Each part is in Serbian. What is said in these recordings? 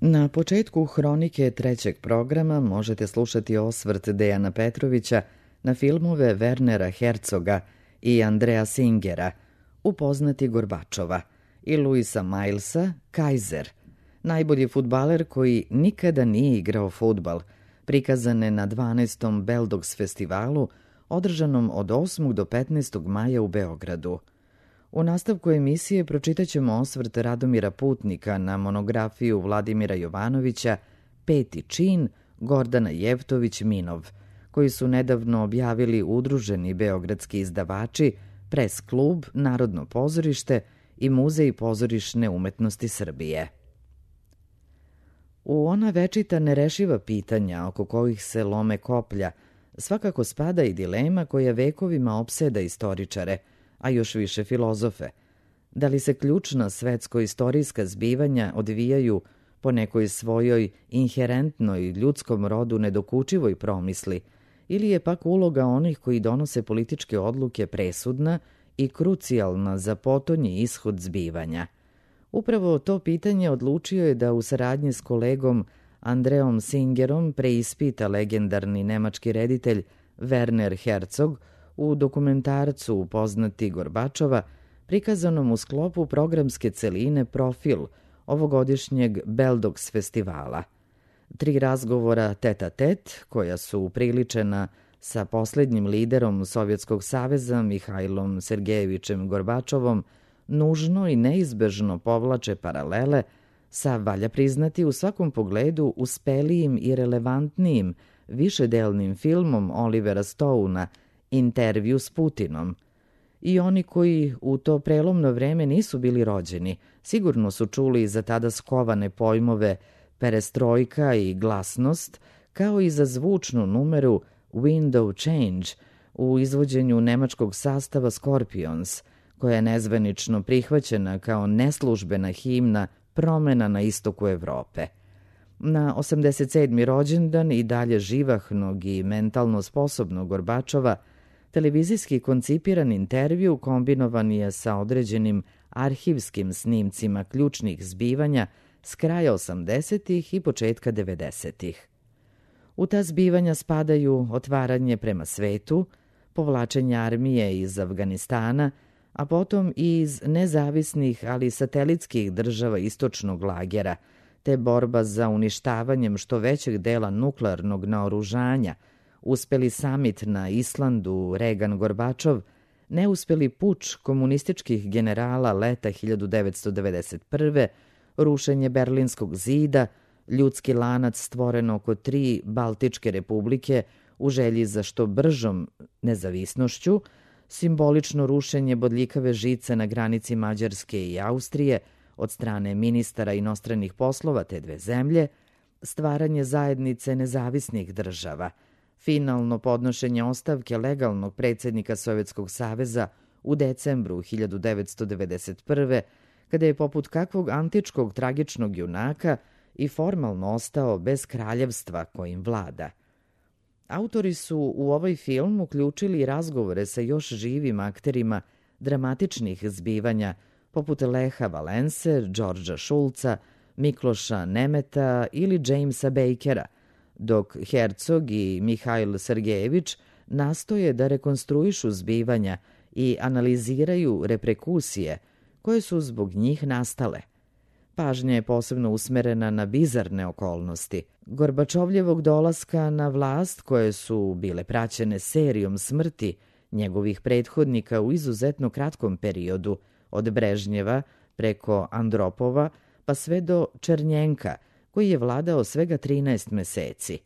Na početku hronike trećeg programa možete slušati osvrt Dejana Petrovića na filmove Wernera Herzoga i Andrea Singera, Upoznati Gorbačova, i Luisa Milesa, Kaiser, najbolji fudbaler koji nikada nije igrao fudbal, prikazane na 12. Beldogs festivalu, održanom od 8. do 15. maja u Beogradu. U nastavku emisije pročitaćemo osvrt Radomira Putnika na monografiju Vladimira Jovanovića Peti čin Gordana Jevtović-Minov, koji su nedavno objavili udruženi beogradski izdavači Pres klub, Narodno pozorište i Muzej pozorišne umetnosti Srbije. U ona večita nerešiva pitanja oko kojih se lome koplja svakako spada i dilema koja vekovima opseda istoričare, a još više filozofe. Da li se ključna svetsko-istorijska zbivanja odvijaju po nekoj svojoj inherentnoj ljudskom rodu nedokučivoj promisli, ili je pak uloga onih koji donose političke odluke presudna i krucijalna za potonji ishod zbivanja? Upravo to pitanje odlučio je da u saradnji s kolegom Andreom Singerom preispita legendarni nemački reditelj Werner Herzog u dokumentarcu Upoznati Gorbačova, prikazanom u sklopu programske celine Profil ovogodišnjeg Beldogs festivala. 3 razgovora tet-a-tet, koja su upriličena sa posljednjim liderom Sovjetskog saveza Mihajlom Sergejevićem Gorbačovom, nužno i neizbežno povlače paralele sa, valja priznati, u svakom pogledu uspelijim i relevantnijim višedelnim filmom Olivera Stouna Intervju s Putinom. I oni koji u to prelomno vreme nisu bili rođeni, sigurno su čuli za tada skovane pojmove perestrojka i glasnost, kao i za zvučnu numeru Window Change u izvođenju nemačkog sastava Scorpions, koja je nezvanično prihvaćena kao neslužbena himna promena na istoku Evrope. Na 87. rođendan i dalje živahnog i mentalno sposobnog Gorbačova, televizijski koncipiran intervju kombinovan je sa određenim arhivskim snimcima ključnih zbivanja s kraja 80. i početka 90. U ta zbivanja spadaju otvaranje prema svetu, povlačenje armije iz Afganistana, a potom i iz nezavisnih, ali satelitskih država istočnog lagera, te borba za uništavanjem što većeg dela nuklearnog naoružanja, uspeli samit na Islandu Reagan-Gorbačov, neuspeli puč komunističkih generala leta 1991., rušenje Berlinskog zida, ljudski lanac stvoren oko 3 Baltičke republike u želji za što bržom nezavisnošću, simbolično rušenje bodljikave žice na granici Mađarske i Austrije od strane ministara inostranih poslova te dve zemlje, stvaranje zajednice nezavisnih država, finalno podnošenje ostavke legalnog predsjednika Sovjetskog saveza u decembru 1991. kada je poput kakvog antičkog tragičnog junaka i formalno ostao bez kraljevstva kojim vlada. Autori su u ovaj film uključili razgovore sa još živim akterima dramatičnih zbivanja poput Leha Valense, Đorđa Šulca, Mikloša Nemeta ili Jamesa Bakera, dok Herzog i Mihajl Sergejević nastoje da rekonstruišu zbivanja i analiziraju reperkusije koje su zbog njih nastale. Pažnja je posebno usmerena na bizarne okolnosti Gorbačovljevog dolaska na vlast, koje su bile praćene serijom smrti njegovih prethodnika u izuzetno kratkom periodu, od Brežnjeva preko Andropova pa sve do Černjenka, koji je vladao svega 13 meseci.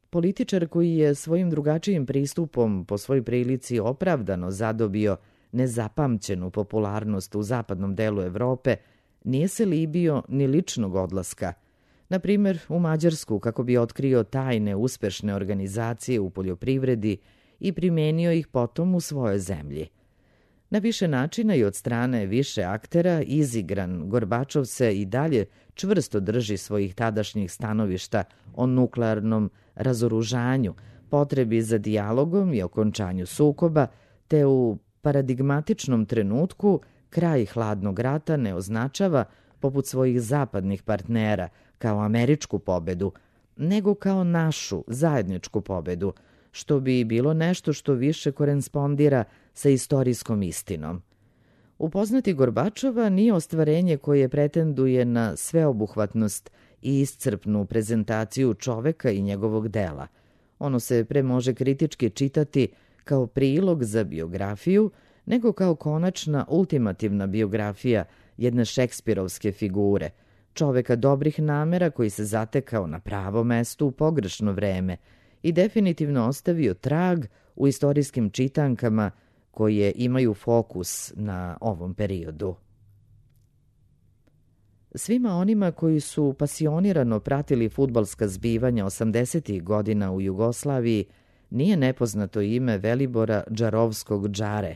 Političar koji je svojim drugačijim pristupom po svoj prilici opravdano zadobio nezapamćenu popularnost u zapadnom delu Evrope, nije se libio ni ličnog odlaska, na primjer u Mađarsku, kako bi otkrio tajne uspešne organizacije u poljoprivredi i primenio ih potom u svojoj zemlji. Na više načina i od strane više aktera izigran, Gorbačov se i dalje čvrsto drži svojih tadašnjih stanovišta o nuklearnom razoružanju, potrebi za dijalogom i okončanju sukoba, te u paradigmatičnom trenutku kraj hladnog rata ne označava poput svojih zapadnih partnera, kao američku pobedu, nego kao našu zajedničku pobedu, što bi bilo nešto što više korespondira sa istorijskom istinom. Upoznati Gorbačova nije ostvarenje koje pretenduje na sveobuhvatnost i iscrpnu prezentaciju čoveka i njegovog dela. Ono se pre može kritički čitati kao prilog za biografiju, nego kao konačna ultimativna biografija jedne šekspirovske figure, čoveka dobrih namera koji se zatekao na pravo mesto u pogrešno vreme i definitivno ostavio trag u istorijskim čitankama koje imaju fokus na ovom periodu. Svima onima koji su pasionirano pratili fudbalska zbivanja 80. godina u Jugoslaviji nije nepoznato ime Velibora Džarovskog Džare,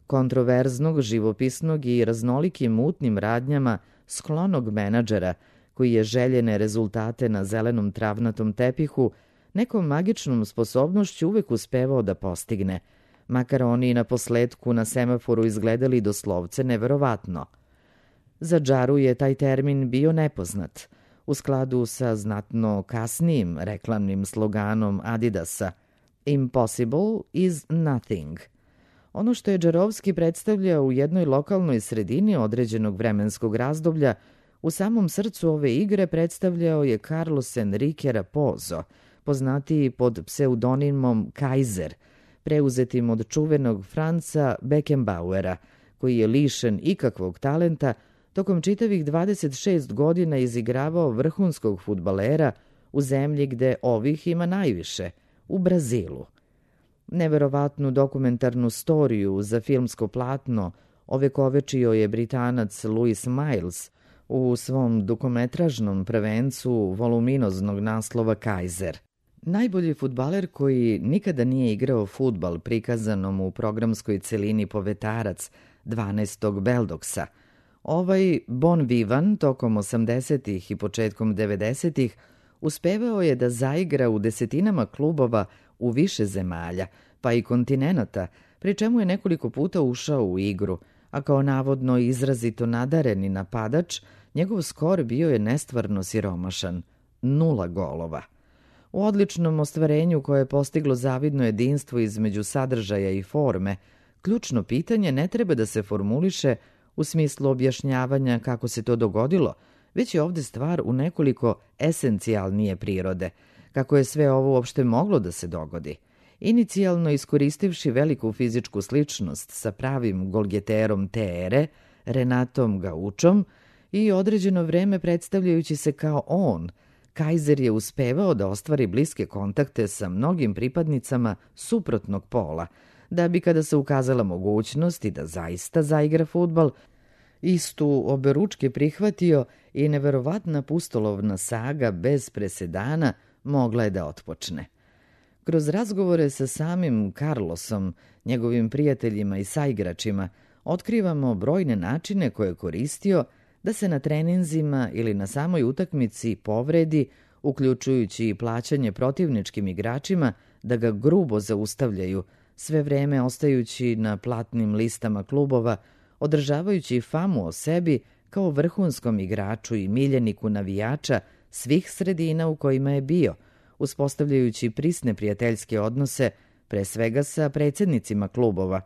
kontroverznog, živopisnog i raznolikim mutnim radnjama sklonog menadžera koji je željene rezultate na zelenom travnatom tepihu nekom magičnom sposobnošću uvek uspevao da postigne, makar oni na posledku na semaforu izgledali doslovce neverovatno. Za Džaru je taj termin bio nepoznat, u skladu sa znatno kasnijim reklamnim sloganom Adidasa Impossible is nothing. Ono što je Džarovski predstavljao u jednoj lokalnoj sredini određenog vremenskog razdoblja, u samom srcu ove igre predstavljao je Carlos Enrique Raposo, poznatiji pod pseudonimom Kaiser, preuzetim od čuvenog Franca Beckenbauera, koji je lišen ikakvog talenta, tokom čitavih 26 godina izigravao vrhunskog fudbalera u zemlji gde ovih ima najviše, u Brazilu. Neverovatnu dokumentarnu storiju za filmsko platno ovekovečio je Britanac Louis Miles u svom dugometražnom prvencu voluminoznog naslova Kaiser. Najbolji fudbaler koji nikada nije igrao fudbal prikazanom u programskoj celini Povetarac 12. Beldoksa, ovaj bon vivan tokom 80. i početkom 90. uspevao je da zaigra u desetinama klubova u više zemalja, pa i kontinenata, pri čemu je nekoliko puta ušao u igru, a kao navodno izrazito nadareni napadač, njegov skor bio je nestvarno siromašan, 0 golova. U odličnom ostvarenju koje je postiglo zavidno jedinstvo između sadržaja i forme, ključno pitanje ne treba da se formuliše u smislu objašnjavanja kako se to dogodilo, već je ovde stvar u nekoliko esencijalnije prirode, kako je sve ovo uopšte moglo da se dogodi. Inicijalno iskoristivši veliku fizičku sličnost sa pravim golgeterom te ere, Renatom Gaučom, i određeno vreme predstavljajući se kao on, Kaiser je uspevao da ostvari bliske kontakte sa mnogim pripadnicama suprotnog pola, da bi kada se ukazala mogućnost i da zaista zaigra fudbal, istu oberučke prihvatio i neverovatna pustolovna saga bez presedana mogla je da otpočne. Kroz razgovore sa samim Carlosom, njegovim prijateljima i saigračima, otkrivamo brojne načine koje je koristio da se na treninzima ili na samoj utakmici povredi, uključujući i plaćanje protivničkim igračima da ga grubo zaustavljaju, sve vreme ostajući na platnim listama klubova, održavajući famu o sebi kao vrhunskom igraču i miljeniku navijača svih sredina u kojima je bio, uspostavljajući prisne prijateljske odnose, pre svega sa predsjednicima klubova,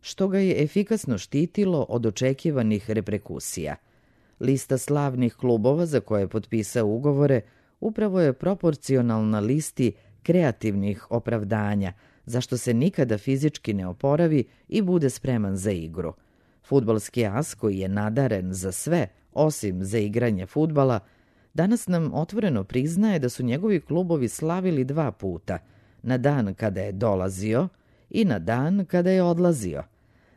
što ga je efikasno štitilo od očekivanih reperkusija. Lista slavnih klubova za koje je potpisao ugovore upravo je proporcionalna listi kreativnih opravdanja, zašto se nikada fizički ne oporavi i bude spreman za igru. Fudbalski as koji je nadaren za sve, osim za igranje fudbala, danas nam otvoreno priznaje da su njegovi klubovi slavili 2 puta, na dan kada je dolazio i na dan kada je odlazio.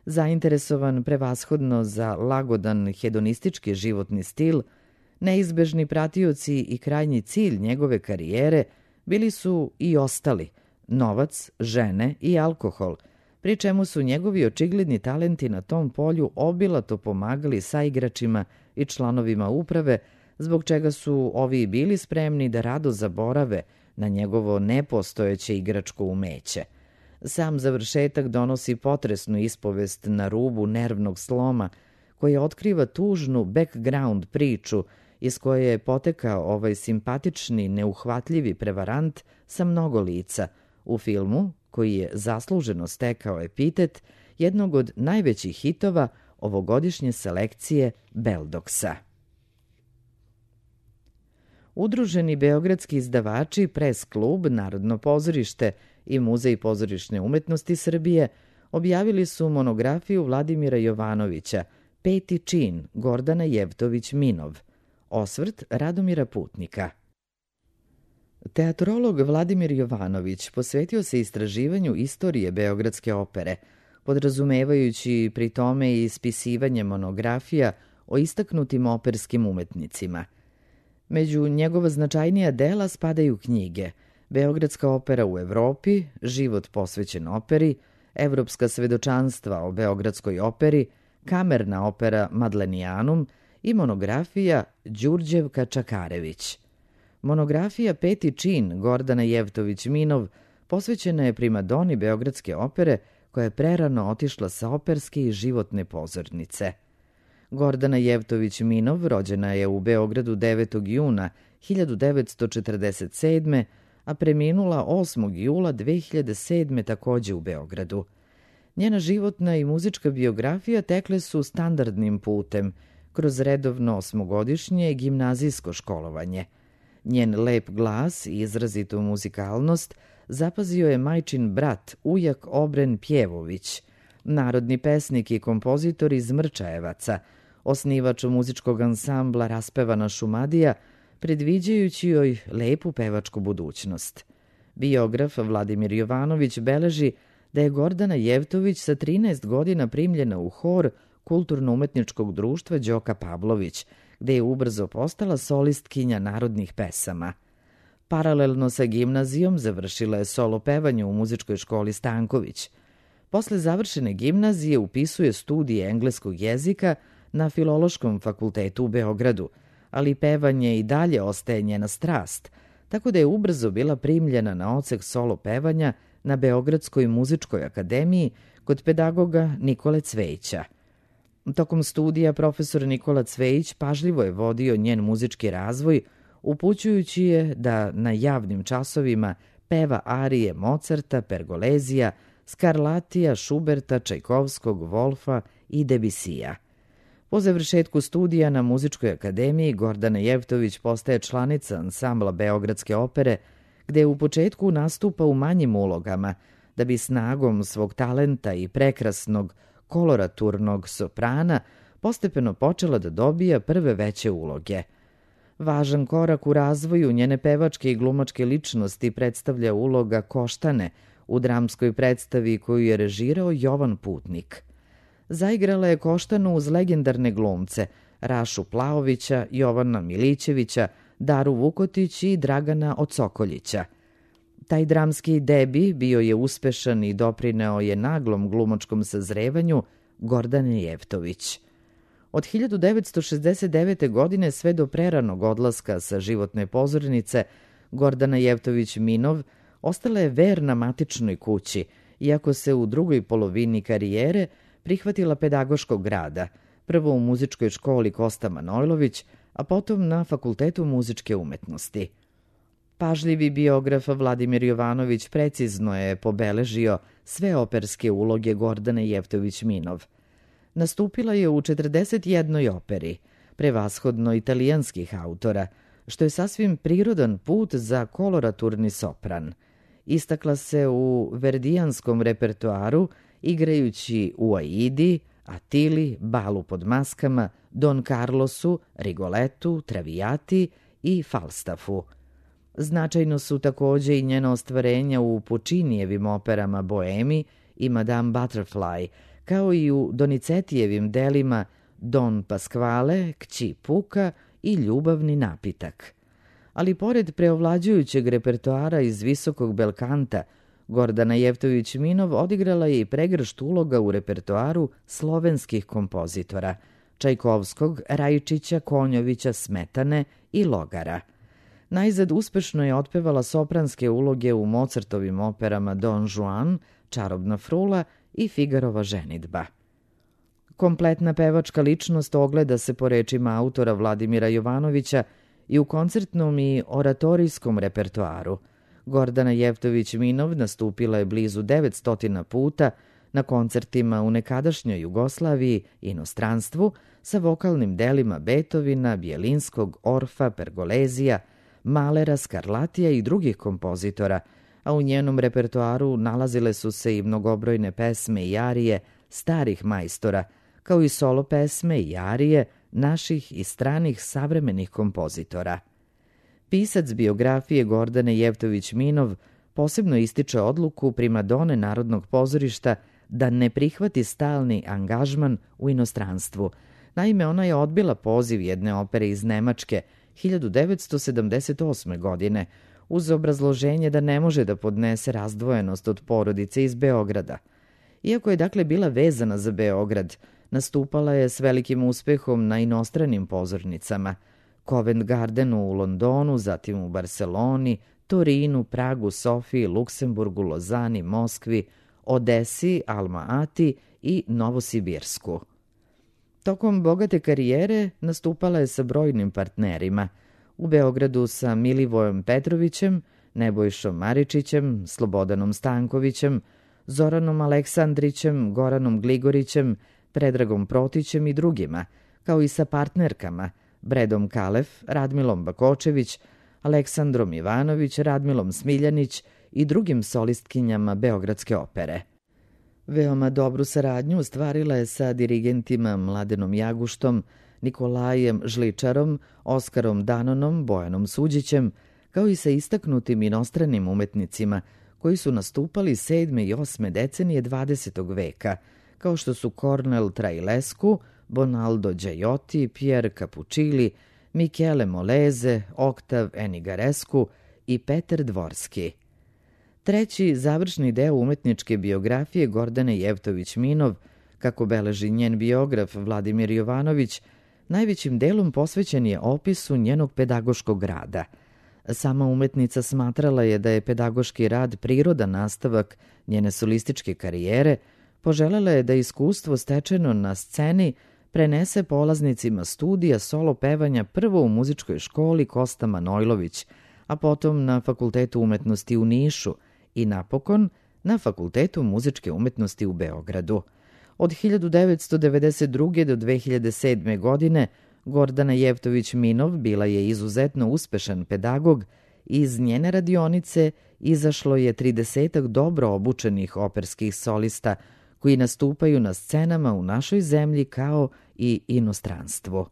Zainteresovan prevashodno za lagodan hedonistički životni stil, neizbežni pratioci i krajnji cilj njegove karijere bili su i ostali, novac, žene i alkohol, pri čemu su njegovi očigledni talenti na tom polju obilato pomagali saigračima i članovima uprave, zbog čega su ovi bili spremni da rado zaborave na njegovo nepostojeće igračko umeće. Sam završetak donosi potresnu ispovest na rubu nervnog sloma, koja otkriva tužnu background priču iz koje je potekao ovaj simpatični, neuhvatljivi prevarant sa mnogo lica u filmu koji je zasluženo stekao epitet jednog od najvećih hitova ovogodišnje selekcije Beldoksa. Udruženi beogradski izdavači, Pres klub, Narodno pozorište i Muzej pozorišne umetnosti Srbije objavili su monografiju Vladimira Jovanovića Peti čin Gordana Jevtović-Minov, osvrt Radomira Putnika. Teatrolog Vladimir Jovanović posvetio se istraživanju istorije Beogradske opere, podrazumevajući pri tome i ispisivanje monografija o istaknutim operskim umetnicima. Među njegova značajnija dela spadaju knjige Beogradska opera u Evropi, Život posvećen operi, Evropska svedočanstva o Beogradskoj operi, Kamerna opera Madlenijanum i monografija Đurđevka Čakarević. Monografija Peti čin Gordana Jevtović-Minov posvećena je primadoni Beogradske opere koja je prerano otišla sa operske i životne pozornice. Gordana Jevtović-Minov rođena je u Beogradu 9. juna 1947. a preminula 8. jula 2007. takođe u Beogradu. Njena životna i muzička biografija tekle su standardnim putem, kroz redovno osmogodišnje gimnazijsko školovanje. Njen lep glas i izrazitu muzikalnost zapazio je majčin brat, ujak Obren Pjevović, narodni pesnik i kompozitor iz Mrčajevaca, osnivač muzičkog ansambla Raspevana Šumadija, predviđajući joj lepu pevačku budućnost. Biograf Vladimir Jovanović beleži da je Gordana Jevtović sa 13 godina primljena u hor Kulturno-umetničkog društva Đoka Pavlović, gde je ubrzo postala solistkinja narodnih pesama. Paralelno sa gimnazijom završila je solo pevanje u muzičkoj školi Stanković. Posle završene gimnazije upisuje studije engleskog jezika na Filološkom fakultetu u Beogradu, ali pevanje i dalje ostaje njena strast, tako da je ubrzo bila primljena na odsek solo pevanja na Beogradskoj muzičkoj akademiji kod pedagoga Nikole Cvejića. Tokom studija profesor Nikola Cvejić pažljivo je vodio njen muzički razvoj, upućujući je da na javnim časovima peva arije Mozarta, Pergolezija, Skarlatija, Šuberta, Čajkovskog, Wolfa i Debisija. Po završetku studija na Muzičkoj akademiji Gordana Jevtović postaje članica ansambla Beogradske opere, gde u početku nastupa u manjim ulogama, da bi snagom svog talenta i prekrasnog koloraturnog soprana postepeno počela da dobija prve veće uloge. Važan korak u razvoju njene pevačke i glumačke ličnosti predstavlja uloga Koštane u dramskoj predstavi koju je režirao Jovan Putnik. Zaigrala je Koštanu uz legendarne glumce Rašu Plaovića, Jovana Milićevića, Daru Vukotić i Dragana Ocokoljića. Taj dramski debi bio je uspešan i doprineo je naglom glumačkom sazrevanju Gordane Jevtović. Od 1969. godine sve do preranog odlaska sa životne pozornice, Gordana Jevtović-Minov ostala je verna matičnoj kući, iako se u drugoj polovini karijere prihvatila pedagoškog rada, prvo u muzičkoj školi Kosta Manojlović, a potom na Fakultetu muzičke umetnosti. Pažljivi biograf Vladimir Jovanović precizno je pobeležio sve operske uloge Gordane Jevtović-Minov. Nastupila je u 41 operi, prevashodno italijanskih autora, što je sasvim prirodan put za koloraturni sopran. Istakla se u verdijanskom repertoaru, igrajući u Aidi, Atili, Balu pod maskama, Don Carlosu, Rigoletu, Traviati i Falstaffu. Značajno su takođe i njena ostvarenja u Pučinijevim operama Boemi i Madame Butterfly, kao i u Donizetijevim delima Don Pasquale, Kći Puka i Ljubavni napitak. Ali pored preovlađujućeg repertoara iz visokog belkanta, Gordana Jevtović-Minov odigrala je i pregršt uloga u repertoaru slovenskih kompozitora Čajkovskog, Rajčića, Konjovića, Smetane i Logara. Najzad uspešno je otpevala sopranske uloge u Mozartovim operama Don Juan, Čarobna frula i Figarova ženidba. Kompletna pevačka ličnost ogleda se po rečima autora Vladimira Jovanovića i u koncertnom i oratorijskom repertoaru. Gordana Jevtović-Minov nastupila je blizu 900 puta na koncertima u nekadašnjoj Jugoslaviji i inostranstvu sa vokalnim delima Beethovena, Bjelinskog, Orfa, Pergolezija, Malera, Skarlatija i drugih kompozitora, a u njenom repertoaru nalazile su se i mnogobrojne pesme i arije starih majstora, kao i solo pesme i arije naših i stranih savremenih kompozitora. Pisac biografije Gordane Jevtović-Minov posebno ističe odluku primadone Narodnog pozorišta da ne prihvati stalni angažman u inostranstvu. Naime, ona je odbila poziv jedne opere iz Nemačke 1978. godine uz obrazloženje da ne može da podnese razdvojenost od porodice iz Beograda. Iako je dakle bila vezana za Beograd, nastupala je s velikim uspehom na inostranim pozornicama, Covent Gardenu u Londonu, zatim u Barceloni, Torinu, Pragu, Sofiji, Luksemburgu, Lozani, Moskvi, Odesi, Alma Ati i Novosibirsku. Tokom bogate karijere nastupala je sa brojnim partnerima. U Beogradu sa Milivojom Petrovićem, Nebojšom Maričićem, Slobodanom Stankovićem, Zoranom Aleksandrićem, Goranom Gligorićem, Predragom Protićem i drugima, kao i sa partnerkama Bredom Kalef, Radmilom Bakočević, Aleksandrom Ivanović, Radmilom Smiljanić i drugim solistkinjama Beogradske opere. Veoma dobru saradnju ostvarila je sa dirigentima Mladenom Jaguštom, Nikolajem Žličarom, Oskarom Danonom, Bojanom Suđićem, kao i sa istaknutim inostranim umetnicima koji su nastupali 7. i 8. decenije 20. veka, kao što su Cornel Trailescu, Bonaldo Giotti, Pierre Capuccilli, Michele Moleze, Oktav Enigarescu i Peter Dvorski. Treći, završni deo umetničke biografije Gordane Jevtović-Minov, kako beleži njen biograf Vladimir Jovanović, najvećim delom posvećen je opisu njenog pedagoškog rada. Sama umetnica smatrala je da je pedagoški rad prirodan nastavak njene solističke karijere, poželela je da iskustvo stečeno na sceni prenese polaznicima studija solo pevanja prvo u muzičkoj školi Kosta Manojlović, a potom na Fakultetu umetnosti u Nišu i napokon na Fakultetu muzičke umetnosti u Beogradu. Od 1992. do 2007. godine Gordana Jevtović-Minov bila je izuzetno uspešan pedagog i iz njene radionice izašlo je 30 dobro obučenih operskih solista koji nastupaju na scenama u našoj zemlji kao i inostranstvu.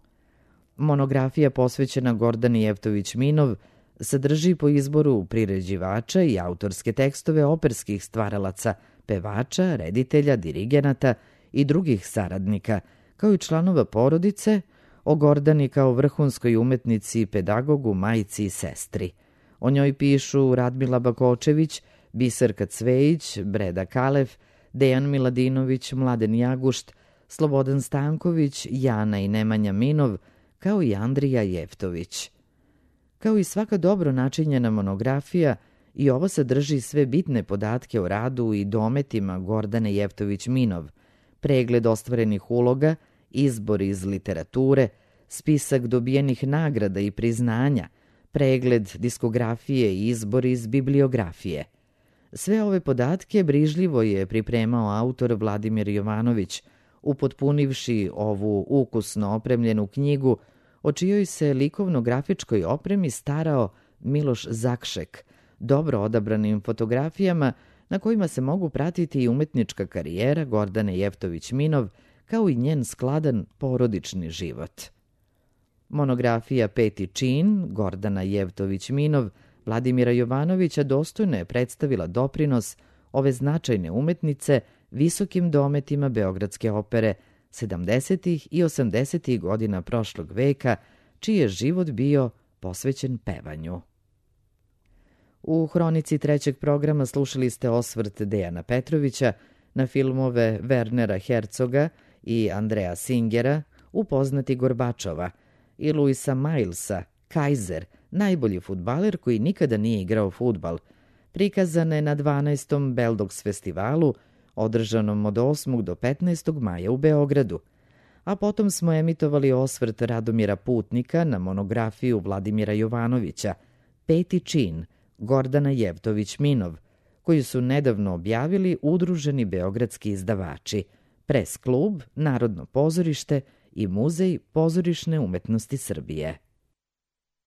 Monografija posvećena Gordani Jevtović-Minov sadrži po izboru priređivača i autorske tekstove operskih stvaralaca, pevača, reditelja, dirigenata i drugih saradnika, kao i članova porodice, o Gordani kao vrhunskoj umetnici, pedagogu, majci i sestri. O njoj pišu Radmila Bakočević, Biserka Cvejić, Breda Kalef, Dejan Miladinović, Mladen Jagušt, Slobodan Stanković, Jana i Nemanja Minov, kao i Andrija Jevtović. Kao i svaka dobro načinjena monografija, i ovo sadrži sve bitne podatke o radu i dometima Gordane Jevtović-Minov, pregled ostvarenih uloga, izbor iz literature, spisak dobijenih nagrada i priznanja, pregled diskografije i izbor iz bibliografije. Sve ove podatke brižljivo je pripremao autor Vladimir Jovanović, upotpunivši ovu ukusno opremljenu knjigu, o čijoj se likovno-grafičkoj opremi starao Miloš Zakšek, dobro odabranim fotografijama na kojima se mogu pratiti i umetnička karijera Gordane Jevtović-Minov, kao i njen skladan porodični život. Monografija Peti čin, Gordana Jevtović-Minov, Vladimira Jovanovića dostojno je predstavila doprinos ove značajne umetnice visokim dometima Beogradske opere 70. i 80. godina prošlog veka, čiji je život bio posvećen pevanju. U hronici trećeg programa slušali ste osvrt Dejana Petrovića na filmove Wernera Herzoga i Andrea Singera, Upoznati Gorbačova, i Luisa Milesa, Kaiser, najbolji fudbaler koji nikada nije igrao fudbal, prikazane na 12. Beldogs festivalu, održanom od 8. do 15. maja u Beogradu. a potom smo emitovali osvrt Radomira Putnika na monografiju Vladimira Jovanovića, Peti čin, Gordana Jevtović-Minov, koju su nedavno objavili udruženi beogradski izdavači, Pres klub, Narodno pozorište i Muzej pozorišne umetnosti Srbije.